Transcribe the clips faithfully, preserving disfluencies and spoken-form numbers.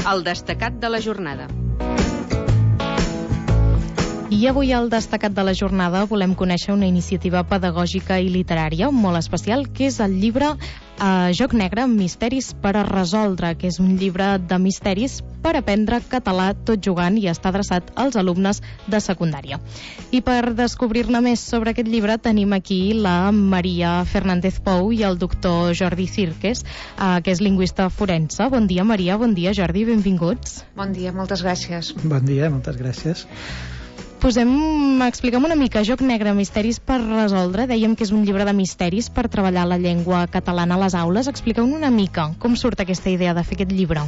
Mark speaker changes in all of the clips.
Speaker 1: El destacat de la jornada.
Speaker 2: I avui al destacat de la jornada volem conèixer una iniciativa pedagògica i literària molt especial, que és el llibre eh, Joc Negre, Misteris per a resoldre, que és un llibre de misteris per aprendre català tot jugant i està adreçat als alumnes de secundària. I per descobrir-ne més sobre aquest llibre tenim aquí la Maria Fernández Pou i el doctor Jordi Cirques, eh, que és lingüista forense. Bon dia, Maria, bon dia, Jordi, benvinguts.
Speaker 3: Bon dia, moltes gràcies.
Speaker 4: Bon dia, moltes gràcies.
Speaker 2: Posem, explica'm una mica, Joc Negre, Misteris per resoldre. Dèiem que és un llibre de misteris per treballar la llengua catalana a les aules. Explica'm una mica com surt aquesta idea de fer aquest llibre.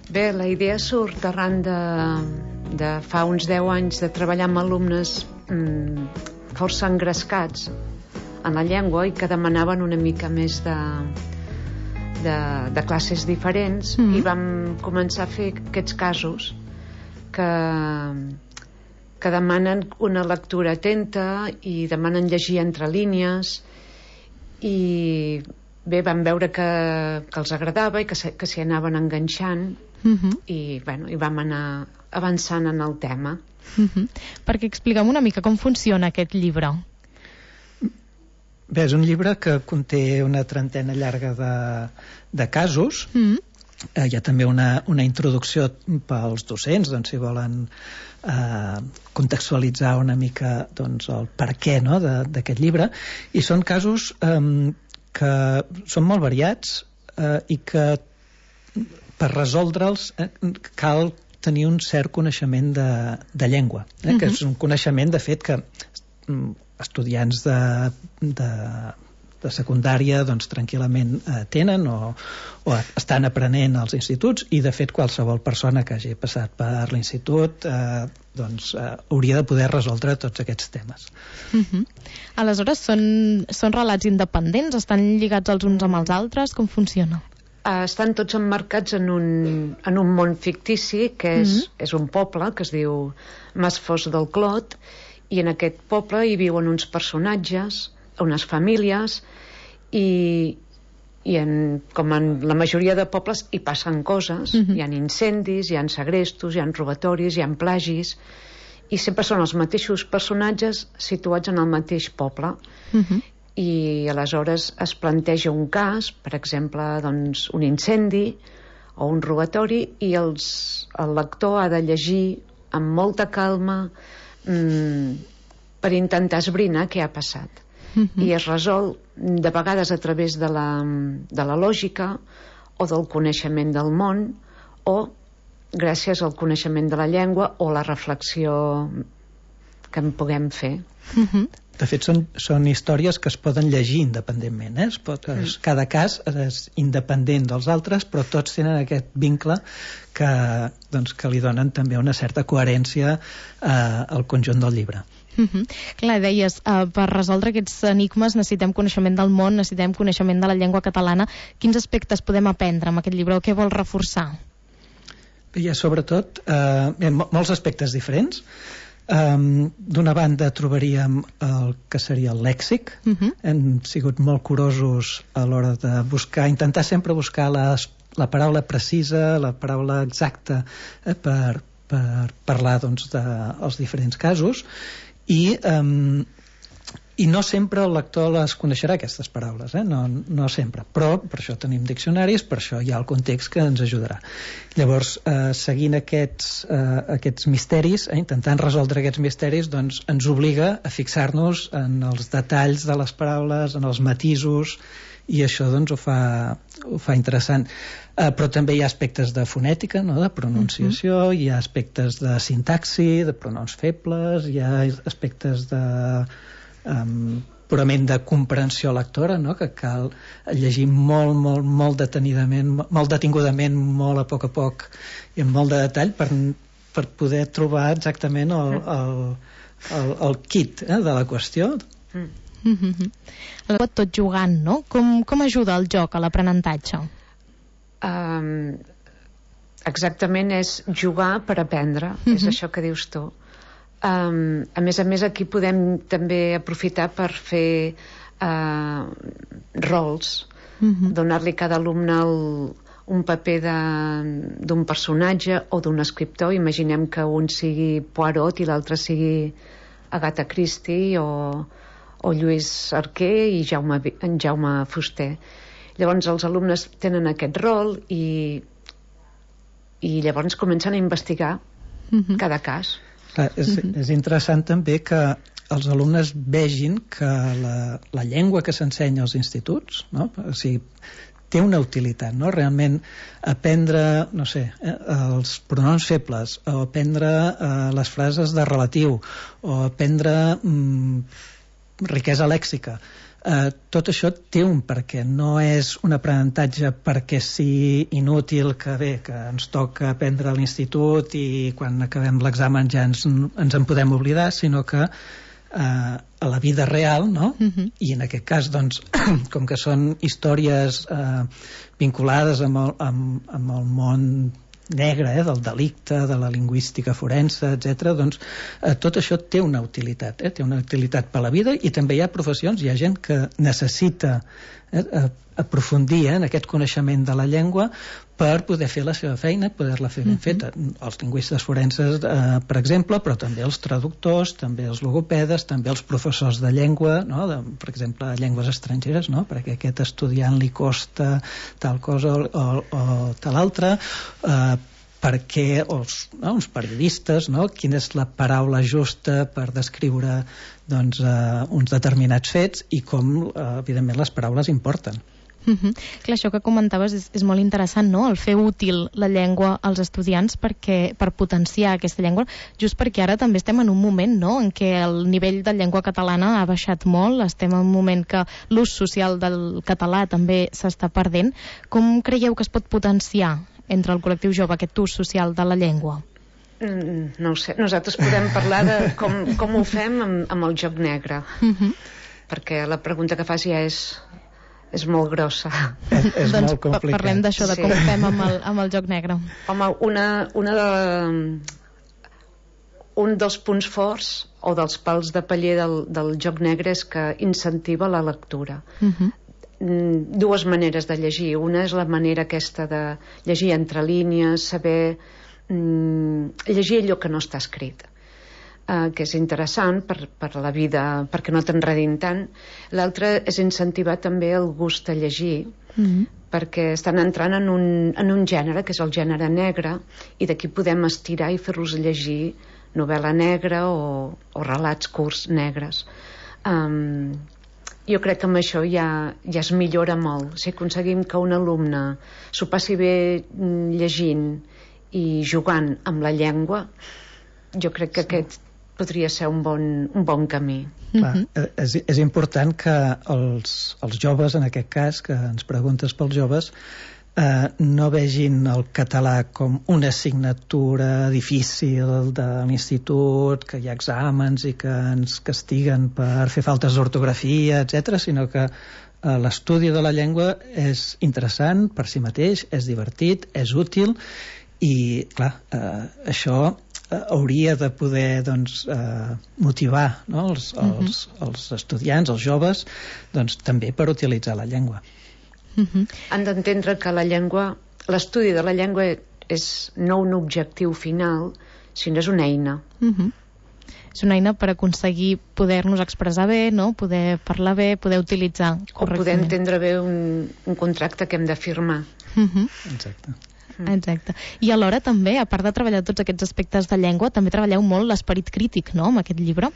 Speaker 3: Bé, la idea surt arran de, de fa uns deu anys de treballar amb alumnes mmm, força engrescats en la llengua i que demanaven una mica més de, de, de classes diferents, mm-hmm. i vam començar a fer aquests casos que... que demanen una lectura atenta i demanen llegir entre línies, i bé, vam veure que, que els agradava i que, se, que s'hi anaven enganxant, uh-huh. i, bueno, i vam anar avançant en el tema.
Speaker 2: Uh-huh. Perquè explica'm una mica com funciona aquest llibre.
Speaker 4: Bé, és un llibre que conté una trentena llarga de, de casos. Uh-huh. Eh, hi ha també una, una introducció pels docents, doncs, si volen eh, contextualitzar una mica, doncs, el per què, no, d'aquest llibre, i són casos eh, que són molt variats, eh, i que per resoldre'ls eh, cal tenir un cert coneixement de, de llengua, eh, uh-huh. que és un coneixement, de fet, que estudiants de, de de secundària doncs tranquil·lament eh, tenen o, o estan aprenent als instituts, i de fet qualsevol persona que hagi passat per l'institut eh, doncs eh, hauria de poder resoldre tots aquests temes.
Speaker 2: Uh-huh. Aleshores són, són relats independents? Estan lligats els uns amb els altres? Com funciona?
Speaker 3: Uh, estan tots emmarcats en un, en un món fictici que és, uh-huh. és un poble que es diu Masfos del Clot, i en aquest poble hi viuen uns personatges, unes famílies, i, i en, com en la majoria de pobles hi passen coses, uh-huh. hi ha incendis, hi ha segrestos, hi ha robatoris, hi ha plagis, i sempre són els mateixos personatges situats en el mateix poble. Uh-huh. I aleshores es planteja un cas, per exemple, doncs, un incendi o un robatori, i els, el lector ha de llegir amb molta calma mmm, per intentar esbrinar què ha passat. Uh-huh. I es resol de vegades a través de la, de la lògica o del coneixement del món, o gràcies al coneixement de la llengua o la reflexió que en puguem fer.
Speaker 2: Uh-huh.
Speaker 4: De fet, són, són històries que es poden llegir independentment, eh? Es pot, es, cada cas és independent dels altres, però tots tenen aquest vincle que, doncs, que li donen també una certa coherència eh, al conjunt del llibre.
Speaker 2: Uh-huh. Clar, deies, uh, per resoldre aquests enigmes necessitem coneixement del món, necessitem coneixement de la llengua catalana. Quins aspectes podem aprendre amb aquest llibre, o què vol reforçar?
Speaker 4: Hi ha sobretot eh, hi ha molts aspectes diferents. Um, d'una banda trobaríem el que seria el lèxic. Uh-huh. Hem sigut molt curosos a l'hora de buscar, intentar sempre buscar les, la paraula precisa, la paraula exacta, eh, per, per parlar, doncs, dels diferents casos. I, um, i no sempre el lector les coneixerà, aquestes paraules, eh? no, no sempre, però per això tenim diccionaris, per això hi ha el context que ens ajudarà. Llavors, eh, seguint aquests, eh, aquests misteris, eh, intentant resoldre aquests misteris, doncs ens obliga a fixar-nos en els detalls de les paraules, en els matisos, i això doncs ho fa, ho fa interessant. Uh, però també hi ha aspectes de fonètica, no? De pronunciació, uh-huh. hi ha aspectes de sintaxi, de pronoms febles, hi ha aspectes de um, purament de comprensió lectora, no? Que cal llegir molt, molt, molt detenidament, molt detingudament, molt a poc a poc i amb molt de detall per, per poder trobar exactament el, el, el, el kit, eh, de la qüestió.
Speaker 2: Mm. Mm-hmm. Tot jugant, no? Com, com ajuda el joc a l'aprenentatge?
Speaker 3: Um, exactament, és jugar per aprendre. Mm-hmm. És això que dius tu. Um, a més a més, aquí podem també aprofitar per fer uh, rols, mm-hmm. donar-li a cada alumne el, un paper d'un personatge o d'un escriptor. Imaginem que un sigui Poirot i l'altre sigui Agatha Christie o, o Lluís Arquer i Jaume, en Jaume Fuster. Llavors els alumnes tenen aquest rol i, i llavors comencen a investigar mm-hmm. cada cas.
Speaker 4: Clar, és, mm-hmm. és interessant també que els alumnes vegin que la, la llengua que s'ensenya als instituts, no? O sigui, té una utilitat, no? Realment aprendre, no sé, eh, els pronoms febles, o aprendre eh, les frases de relatiu, o aprendre mm, riquesa lèxica. Eh, tot això té un perquè, no és un aprenentatge perquè sigui inútil, que bé, que ens toca aprendre a l'institut i quan acabem l'examen ja ens, ens en podem oblidar, sinó que Uh, a la vida real, no? Uh-huh. I en aquest cas, doncs, com que són històries uh, vinculades amb el, amb, amb el món negre, eh, del delicte, de la lingüística forense, etcètera, doncs eh, tot això té una utilitat, eh? Té una utilitat per la vida, i també hi ha professions, hi ha gent que necessita eh, aprofundir eh, en aquest coneixement de la llengua per poder fer la seva feina, poder-la fer ben feta. Mm-hmm. Els lingüistes forenses, eh, per exemple, però també els traductors, també els logopedes, també els professors de llengua, no? De, per exemple, llengües estrangeres, no? Perquè a aquest estudiant li costa tal cosa o, o, o tal altra, eh, perquè els, no? uns periodistes, no? Quina és la paraula justa per descriure doncs, eh, uns determinats fets i com, eh, evidentment, les paraules importen.
Speaker 2: Uh-huh. Clar, això que comentaves és, és molt interessant, no? El fer útil la llengua als estudiants perquè, per potenciar aquesta llengua, just perquè ara també estem en un moment, no?, en què el nivell de llengua catalana ha baixat molt, estem en un moment que l'ús social del català també s'està perdent. Com creieu que es pot potenciar entre el col·lectiu jove aquest ús social de la llengua?
Speaker 3: Mm, no ho sé, nosaltres podem parlar de com, com ho fem amb, amb el joc negre, uh-huh. perquè la pregunta que fas ja és és molt grossa.
Speaker 4: És, és
Speaker 2: doncs
Speaker 4: molt complicat.
Speaker 2: Parlem d'això, de com ho fem amb el, amb el joc negre.
Speaker 3: Home, una, una de, un dels punts forts o dels pals de paller del, del joc negre és que incentiva la lectura. Uh-huh. Dues maneres de llegir. Una és la manera aquesta de llegir entre línies, saber mm, llegir allò que no està escrit. Uh, que és interessant per, per la vida, perquè no t'enredin tant. L'altre és incentivar també el gust a llegir, mm-hmm. perquè estan entrant en un, en un gènere, que és el gènere negre, i d'aquí podem estirar i fer-los llegir novel·la negra o, o relats curts negres. Um, jo crec que amb això ja, ja es millora molt. Si aconseguim que un alumne s'ho passi bé llegint i jugant amb la llengua, jo crec que aquest podria ser un bon, un bon camí.
Speaker 4: Clar, és, és important que els, els joves, en aquest cas, que ens preguntes pels joves, eh, no vegin el català com una assignatura difícil de l'institut, que hi ha exàmens i que ens castiguen per fer faltes d'ortografia, etcètera, sinó que eh, l'estudi de la llengua és interessant per si mateix, és divertit, és útil, i clar, eh, això hauria de poder doncs, eh, motivar, no? els, els, els estudiants, els joves, doncs, també per utilitzar la llengua.
Speaker 3: Uh-huh. Han d'entendre que la llengua, l'estudi de la llengua és no un objectiu final, sinó és una eina.
Speaker 2: Uh-huh. És una eina per aconseguir poder-nos expressar bé, no? Poder parlar bé, poder utilitzar correctament.
Speaker 3: O poder entendre bé un, un contracte que hem de firmar.
Speaker 2: Uh-huh.
Speaker 4: Exacte.
Speaker 2: Exacte. I alhora també, a part de treballar tots aquests aspectes de llengua, també treballeu molt l'esperit crític, no?, amb aquest llibre.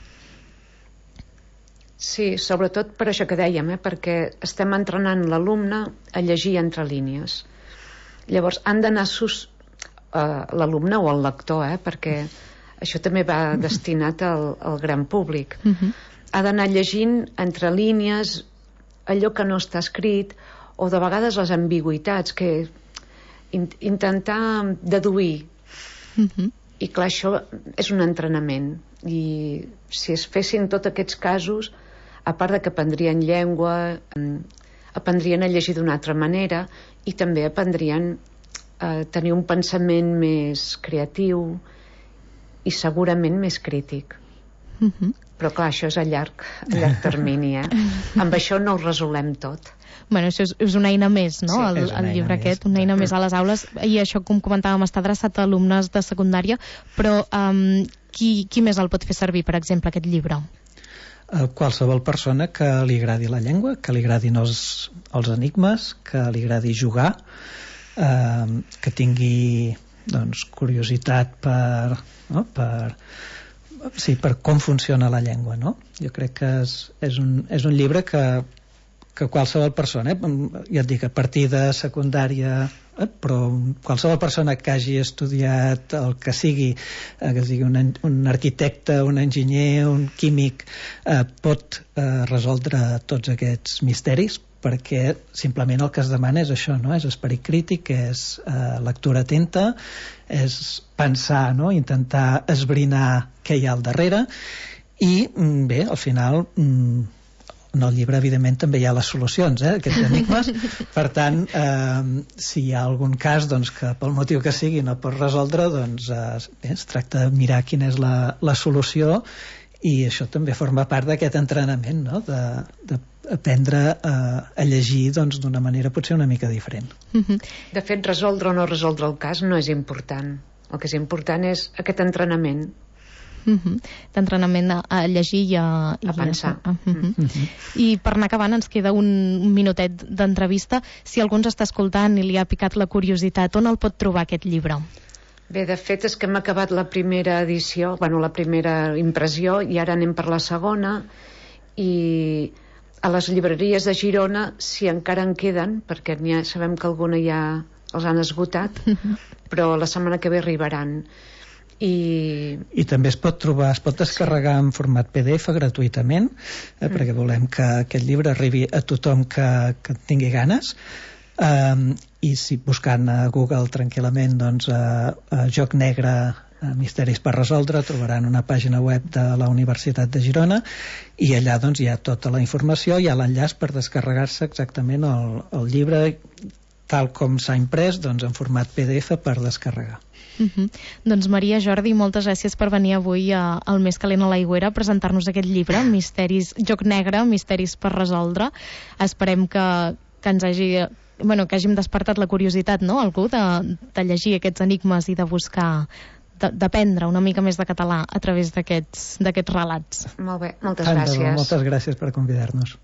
Speaker 3: Sí, sobretot per això que dèiem, eh? perquè estem entrenant l'alumne a llegir entre línies. Llavors han d'anar sus uh, l'alumne o el lector, eh? perquè això també va destinat al, al gran públic. Uh-huh. Ha d'anar llegint entre línies allò que no està escrit, o de vegades les ambigüitats, que intentar deduir. Uh-huh. I clar, això és un entrenament, i si es fessin tots aquests casos, a part de que aprendrien llengua, aprendrien a llegir d'una altra manera, i també aprendrien a tenir un pensament més creatiu i segurament més crític. Uh-huh. Però clar, això és a llarg, a llarg termini, eh? Amb això no ho resolem tot.
Speaker 2: Bueno, això és, és una eina més, no?
Speaker 3: Sí,
Speaker 2: el, el llibre aquest, una eina més a les aules, i això, com comentàvem, està adreçat a alumnes de secundària, però um, qui, qui més el pot fer servir, per exemple, aquest llibre?
Speaker 4: Uh, qualsevol persona que li agradi la llengua, que li agradin els, els enigmes, que li agradi jugar, uh, que tingui, doncs, curiositat per, no? per, sí, per com funciona la llengua, no? Jo crec que és, és, un, és un llibre que que qualsevol persona, eh, ja et dic, a partir de secundària, eh, però qualsevol persona que hagi estudiat el que sigui, eh, que sigui un, un arquitecte, un enginyer, un químic, eh, pot eh, resoldre tots aquests misteris, perquè simplement el que es demana és això, no? És esperit crític, és eh, lectura atenta, és pensar, no? Intentar esbrinar què hi ha al darrere, i bé, al final en el llibre evidentment també hi ha les solucions, eh, aquests enigmes. Per tant, eh, si hi ha algun cas, doncs, que pel motiu que sigui no pot resoldre, doncs eh, bé, es tracta de mirar quina és la, la solució, i això també forma part d'aquest entrenament, no? de, de aprendre a, a llegir doncs, d'una manera potser una mica diferent.
Speaker 3: De fet, resoldre o no resoldre el cas no és important. El que és important és aquest entrenament.
Speaker 2: Uh-huh. D'entrenament a, a llegir i a,
Speaker 3: a pensar.
Speaker 2: A, uh-huh. Uh-huh. I per anar acabant ens queda un, un minutet d'entrevista. Si algú ens està escoltant i li ha picat la curiositat, on el pot trobar aquest llibre?
Speaker 3: Bé, de fet és que hem acabat la primera edició, bueno, la primera impressió, i ara anem per la segona, i a les llibreries de Girona, si encara en queden, perquè ha, sabem que alguna ja els han esgotat, uh-huh. però la setmana que ve arribaran. I...
Speaker 4: I també es pot trobar, es pot descarregar en format P D F gratuïtament, eh, mm. perquè volem que aquest llibre arribi a tothom que, que tingui ganes, um, i si buscant a Google tranquil·lament, doncs, a, a Joc Negre, a Misteris per resoldre, trobaran una pàgina web de la Universitat de Girona, i allà doncs hi ha tota la informació, hi ha l'enllaç per descarregar-se exactament el, el llibre tal com s'ha imprès, doncs en format P D F per descarregar.
Speaker 2: Uh-huh. Doncs Maria, Jordi, moltes gràcies per venir avui a, al Més Calent a l'Aigüera a presentar-nos aquest llibre, Misteris, Joc Negre, Misteris per resoldre. Esperem que, que ens hagi, bueno, que hàgim despertat la curiositat, no?, algú de, de llegir aquests enigmes i de buscar, d'aprendre una mica més de català a través d'aquests d'aquests relats.
Speaker 3: Molt bé, moltes gràcies.
Speaker 4: Moltes gràcies per convidar-nos.